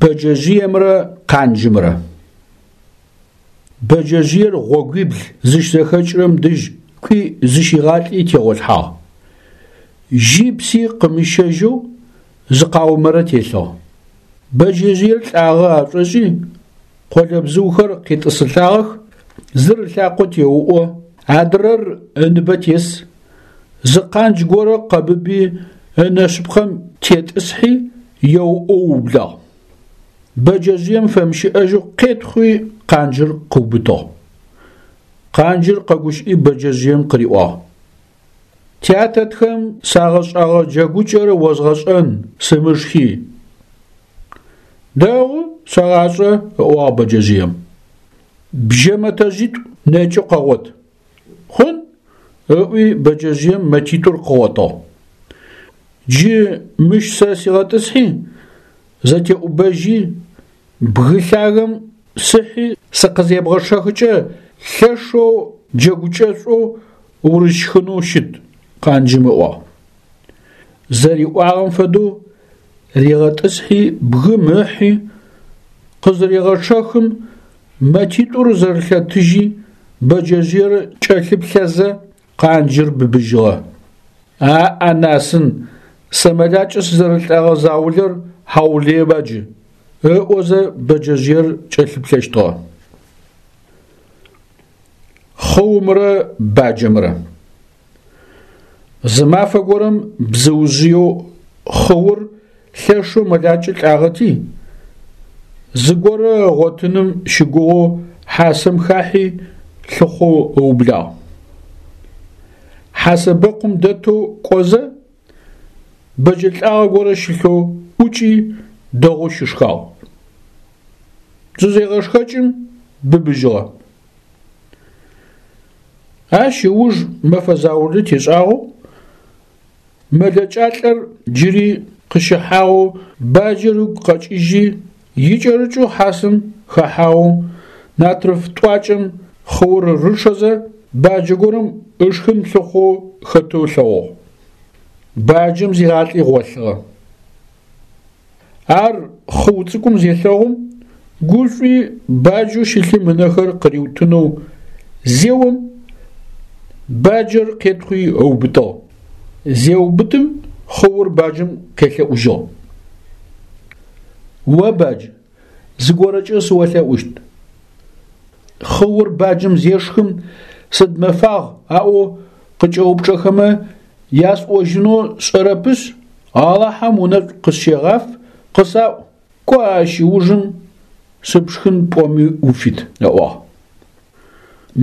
Бэджэжъыемрэ къанджымрэ. Бэджэжъыер гъогуибл зыщзэхэкӏырэм дэжь кӏуи зыщигъалӏи тегъолъхьагъ. Жьи пси къымыщэжьэу зы къаумэрэ телъыгъ. Бэджэжъыер лӏагъэ ашӏошӏи, къолэбзыухэр къетӏысылӏагъэх, зыр ылъакъо теуӏо, адрэр ыныбэ тес. Зы къандж горэ къэбыби ынэ шъыпкъэм тетӏысхьи, еуӏоу ыублагъ. Бэджэжъыем фэмыщыӏэжьэу къетхъуи къанджыр къыубытыгъ. Къанджыр къэгущыӏи бэджэжъыем къыриӏуагъ. Тятэтхэм сагъэшӏагъэ джэгукӏэр озгъэшӏэн, сымышхи. Дэгъу, сэгъашӏэ, ыӏуагъ бэджэжъыем. Бжьэ мэтэжъитӏу нэкӏэу къэгъот. Хъун, ыӏуи бэджэжъыем мэтитӏур къыгъотыгъ. Джы мыщ сэ сигъэтӏысхьи, зэтеӏубэжьи, бгы лъагэм сыхьи сыкъызебгъэчъэхыкӏэ лъэшэу джэгукӏэшӏоу урысшхынэу щыт, къанджым ыӏуагъ. Зэриӏуагъэм фэдэу ригъэтӏысхьи бгым ыхьи, къызырегъэчъэхым мэтитӏур зэрылъэтыжьи бэджэжъыер кӏэлъыплъэзэ къанджыр быбыжьыгъэ. Аӏ-анасын, сэ мэлакӏэ сызэрэлӏэгъэ заулэр хьаулыеба джы, ыӏозэ бэджэжъыер кӏэлъыплъэщтыгъэ. Хъыумрэ баджэмрэ. Зы мафэ горэм бзыужъыеу хъыур лъэшэу мэлакӏэ лӏагъэти, зыгорэ ыгъотыным щыгугъэу хьасэм хахьи лъыхъоу ыублагъ. Хьасэбэкъум дэтэу кӏозэ, бэджэ лӏагъэ горэ щылъэу ӏукӏи дэгъоу щышхагъ. Зызегъэшхэкӏым быбыжьыгъэ. Ащ ыуж мэфэ заулэ тешӏагъэу мэлэкӏалӏэр джыри къыщыхьагъэу баджэр ыгу къэкӏыжьи, икӏэрыкӏэу хьасэм хэхьагъэу натрыф тӏуакӏэм хъыур рычъэзэ баджэ горэм ышхын лъыхъоу хэтэу ылъэгъугъ. Баджэм зигъалӏи гъолъыгъэ. Ар хъыу цӏыкӏум зелъэгъум, гушӏуи баджэу щылъым ынэхэр къыриутынэу зеом, баджэр къетхъуи ыубытыгъ. Зеубытым хъыур баджэм къелъэӏужьыгъ. О, бадж, зыгорэкӏэ сыолъэӏущт. Хъыур баджэм зешхым сыд мэфагъ аӏоу къыкӏэупчӏэхэмэ ясӏожьынэу сшӏэрэпышъ, Алахьэм унэшӏу къысщегъаф, къысаӏу, кӏо ащ ыужым сыпшхын пӏоми уфит, ыӏуагъ.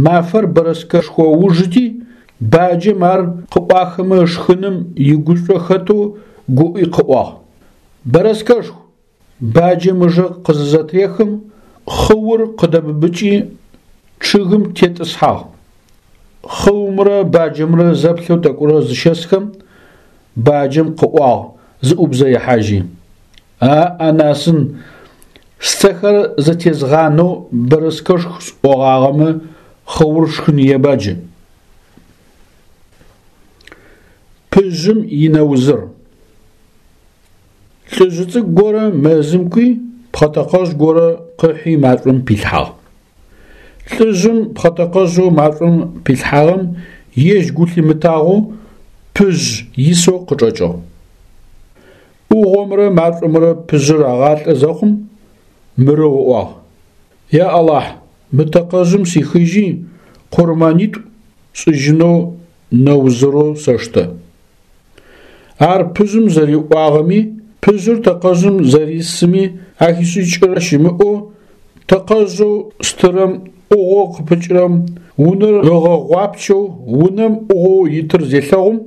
Мафэр бэрэскэшхо ужыти, баджэм ар къыӏуахымэ ышхыным игушӏо хэтэу гуӏи къыӏуагъ. Бэрэскэшху! Баджэм ыжэ къызызэтрехым, хъыур къыдэбыбыкӏи, чъыгым тетӏысхьагъ. Хъыумрэ баджэмрэ зэплъэу тӏэкӏурэ зыщэсхэм, баджэм къыӏуагъ зыӏубзэихьажьи: А-анасын, сцэхэр зэтезгъанэу бэрэскэшх сӏогъагъэмэ, хъыур сшхыныеба джы. Пыжъым инэузыр. Лӏыжъы цӏыкӏу горэ мэзым кӏуи, пхъэтэкъэжъ горэ къыхьи машӏом пилъхьагъ. Лӏыжъым пхъэтэкъэжъэу машӏом пилъхьагъэм ежь гу лъимытагъэу пыжъ исэу къычӏэкӏыгъ. ӏугъомрэ машӏомрэ пыжъыр агъалӏэ зэхъум, мырэу ыӏуагъ: Я Алахь, мы тэкъэжъым сихыжьи, къурмэнитӏу сшӏыжьынэу нэузырэу сэштэ. Ар пыжъым зэриӏуагъэми, пыжъыр тэкъэжъым зэрисыми ахишӏыкӏырэ щымыӏэу, тэкъэжъэу стырэм ӏугъоу къыпыкӏырэм унэр ыгъэгъуапчэу унэм ӏугъоу итыр зелъэгъум,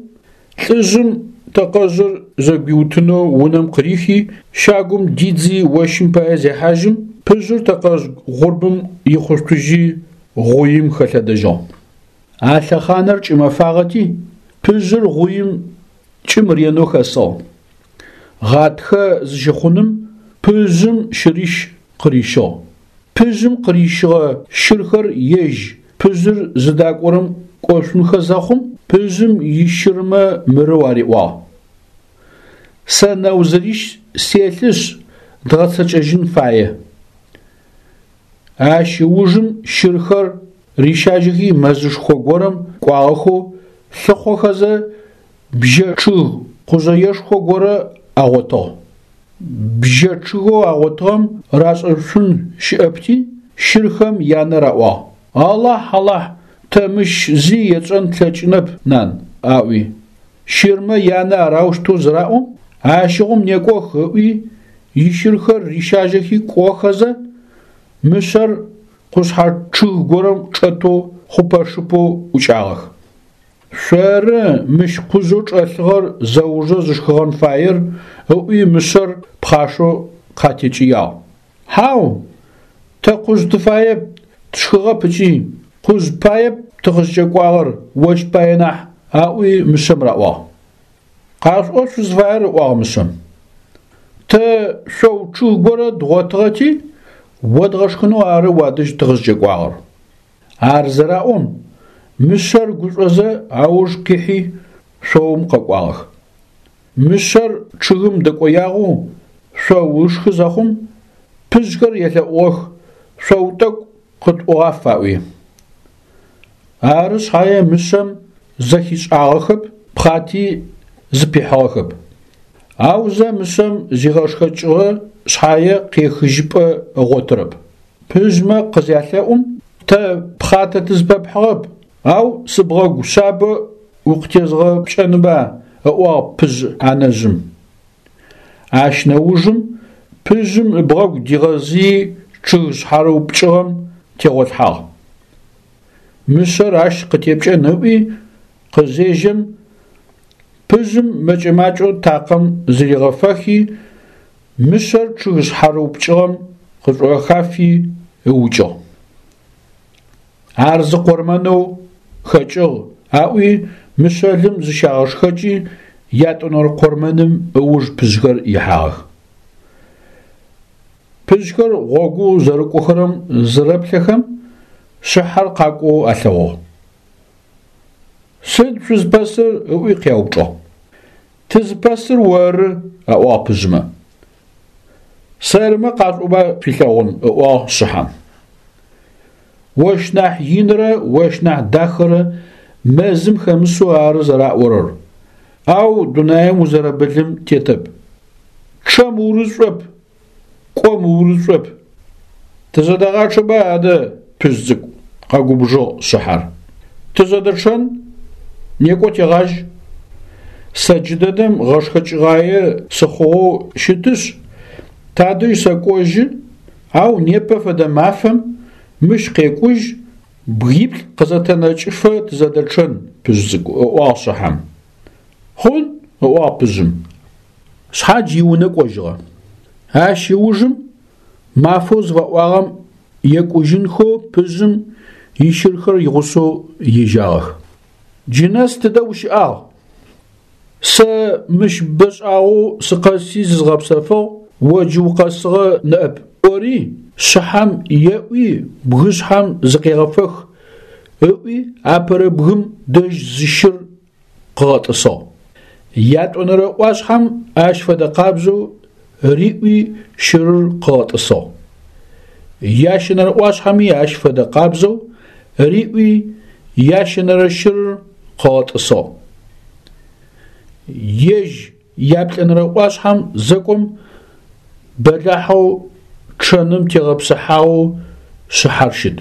лӏыжъым тэкъэжъыр зэгуиутынэу унэм къырихи, щагум дидзи ощым пае зехьажьым, пыжъыр тэкъэжъ гъурбым ихъушъутыжьи гъуим хэлъэдэжьыгъ. А лъэхъанэр кӏымэфагъэти, пыжъыр гъуим кӏым ренэу хэсыгъ. Гъатхэ зыщыхъуным пыжъым щырищ къырищыгъ. Пыжъым къырищыгъэ щырхэр ежь пыжъыр зыдакӏорэм кӏошъунхэ зэхъум, пыжъым ищырмэ мырэу ариӏуагъ: Сэ нэузырищ селъышъ, дгъэцэкӏэжьын фае. Ащ ыужым щырхэр рищажьэхи мэзышхо горэм кӏуагъэхэу лъыхъохэзэ бжьэ чъыг къужъэешхо горэ агъотыгъ. Бжьэ чъыгэу агъотыгъэм рашӏэшъун щыӏэпти, щырхэм янэ раӏуагъ: Алахь, Алахь, тэ мыщ зи етшӏэн тлъэкӏынэп, нан, аӏуи. Щырмэ янэ арэущтэу зыраӏом, ащыгъум некӏох ыӏуи, ищырхэр рищажьэхи кӏохэзэ, мышъэр къушъхьэ чъыг горэм чӏэтэу хъупэ-шыпэу ӏукӏагъэх. Шъоры мыщ къужъэу чӏэлъыгъэр зэужэ зышхыгъэн фаер, ыӏуи мышъэр пхъашэу къатекӏыягъ. Хьау, тэ къужъ тыфаеп, тшхыгъэп ыкӏи, къужъ паеп тыкъызкӏэкӏуагъэр, ощ пае нахь, аӏуи мышъэм раӏуагъ. Къашъуӏо шъузфаер, ыӏуагъ мышъэм. Тэ шъоу чъыг горэ дгъотыгъэти, одгъэшхынэу ары уадэжь тыкъызкӏэкӏуагъэр. Ар зыраӏом, мышъэр гушӏозэ ауж къихьи шъоум къэкӏуагъэх. Мышъэр чъыгым дэкӏоягъэу шъоу ышхы зэхъум, пыжъхэр елъэӏугъэх, шъоу тӏэкӏу къытӏугъаф аӏуи. Ары шъхьае мышъэм зэхишӏагъэхэп, пхъати зыпихьыгъэхэп. Аузэ мышъэм зигъэшхэкӏыгъэ шъхьае къехыжьыпӏэ ыгъотырэп. Пыжъмэ къызялъэӏум, тэ пхъатэ тызпэпхьыгъэп, ау сыбгъэгу шъабэ укъытезгъэпкӏэнба, ыӏуагъ пыжъ анэжъым. Ащ нэужым пыжъым ыбгъэгу дигъэзыи чъыг шъхьарыупкӏыгъэм тегъолъхьагъ. Мышъэр ащ къытепкӏэн ыӏуи къызежьэм, пыжъым мэкӏэ-макӏэу такъэм зыригъэфэхи, мышъэр чъыг шъхьарыупкӏыгъэм къышӏохафи ыукӏыгъ. Ар зы къурмэнэу хэкӏыгъ, аӏуи мышъэлым зыщагъэшхэкӏи, ятӏонэрэ къурмэным ыуж пыжъхэр ихьагъэх. Пыжъхэр гъогоу зэрыкӏохэрэм зырэплъэхэм, шъыхьэр къакӏоу алъэгъугъ. Сыд шъузпэсыр? ыӏуи къяупчӏыгъ. Тызпэсыр оры, аӏуагъ пыжъмэ. Сэрымэ къашӏоба шъуилъэгъун, ыӏуагъ шъыхьэм. Ощ нахь инрэ ощ нахь дахэрэ мэзым хэмысэу ары зэраӏорэр, ау дунаим узэрэбылым тетэп. Чъэм урышӏоп, кӏом урышӏоп. Тызэдэгъачъэба адэ, пыжъ цӏыкӏу, къэгубжыгъ шъыхьэр. Тызэдэчъэн, некӏо тегъажь. Сэ джыдэдэм гъэшхэкӏыгъае сыхъугъэу щытышъ, тадэжь сэкӏожьы, ау непэ фэдэ мафэм мыщ къекӏужь, бгиплӏ къызэтэнэкӏыфэ тызэдэчъэн, пыжъ цӏыкӏу, ыӏуагъ шъыхьэм. Хъун, ыӏуагъ пыжъым. Шъхьадж иунэ кӏожьыгъэ. Ащ ыужым мафэу зыфаӏуагъэм екӏужьынхэу пыжъым ищырхэр игъусэу ежьагъэх. Джы нэс тыдэ ущыӏагъ? Сэ мыщ бэшӏагъэу сыкъэси зызгъэпсэфыгъ, о джы укъэсыгъэ ныӏэп, ӏори, шъыхьэм еӏуи бгышъхьэм зыкъегъэфэх, ыӏуи апэрэ бгым дэжь зы щыр къыгъэтӏысыгъ. Ятӏонэрэ ӏуашъхьэм ащ фэдэ къабзэу риӏуи щырыр къыгъэтӏысыгъ. Ящэнэрэ ӏуашъхьэми ащ фэдэ къабзэу риӏуи ящэнэрэ щырыр къыгъэтӏысыгъ. Ежь яплӏэнэрэ ӏуашъхьэм зэкӏом бэлахьэу чъэным тегъэпсыхьагъэу шъыхьэр щыт.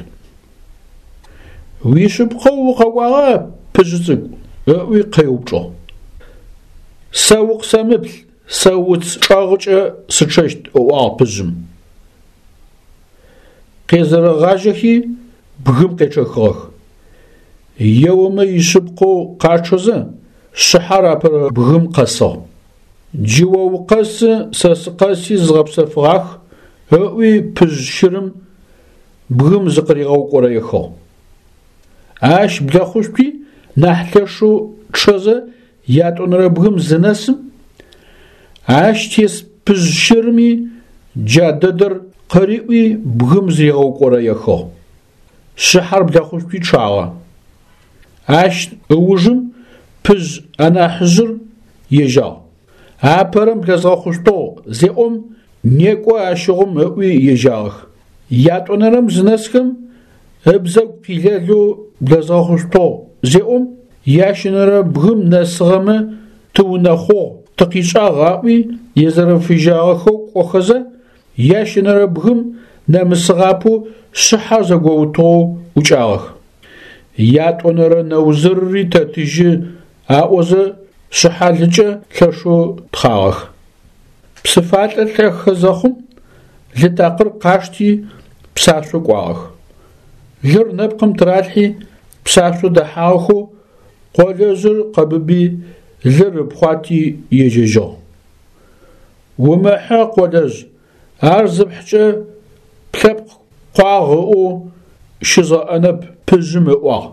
Уишъыпкъэу укъэкӏуагъа, пыжъы цӏыкӏу? ыӏуи къеупчӏыгъ. Сэ укъысэмыплъ, сэ уц чӏэгъыкӏэ сычъэщт, ыӏуагъ пыжъым. Къезэрэгъажьэхи бгым къечъэхыгъэх. Еомэ ишъыпкъэу къачъэзэ, шъыхьэр апэрэ бгым къэсыгъ. Джы о укъэсы, сэ сыкъэси зызгъэпсэфыгъах, ыӏуи пыжъ щырым бгым зыкъыригъэукӏорэехыгъ. Ащ блэхъушъуи нахь лъэшэу чъэзэ ятӏонэрэ бгым зынэсым, ащ тес пыжъ щырми джа дэдэр къыриӏуи бгым зыригъэукӏорэехыгъ. Шъыхьэр блэхъушъуи чъагъэ. Ащ ыужым пыжъ анахьыжъыр ежьагъ. Апэрэм блэзгъэхъушъутыгъ зеӏом, некӏо ащыгъум ыӏуи ежьагъэх. Ятӏонэрэм зынэсхэм ыбзэгу къилэлэу блэзгъэхъушъутыгъ зеӏом, ящэнэрэ бгым нэсыгъэмэ тыунэхъугъ, тыкъишӏагъ аӏуи езэрэфыжьагъэхэу кӏохэзэ, ящэнэрэ бгым нэмысыгъапэу шъыхьэр зэгоутыгъэу ӏукӏагъэх. Ятӏонэрэ нэузырри тэтыжьы аӏозэ шъыхьалыкӏэ лъэшэу тхъагъэх. Псыфалӏэ лӏэхэ зэхъум, лы такъыр къашти псашъо кӏуагъэх. Лыр нэпкъым тыралъхьи псашъо дэхьагъэхэу къолэжъыр къэбыби лыр ыпхъуати ежьэжьыгъ. Умыхьы, къолэжъ, ар зыпхькӏэ плъэпкъ къуагъ ыӏоу щызгъэӏэнэп пыжъым ыӏуагъ.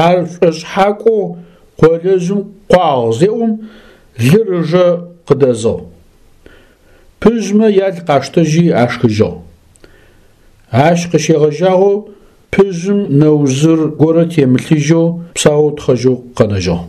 Ар шӏошъхьакӏоу къолэжъым къуагъ зеӏом, лыр ыжэ къыдэзыгъ. Пыжъмэ ял къаштэжьи ашхыжьыгъ. Ащ къыщегъэжьагъэу пыжъым нэузыр горэ темылъыжьэу псаоу тхъэжьэу къэнэжьыгъ.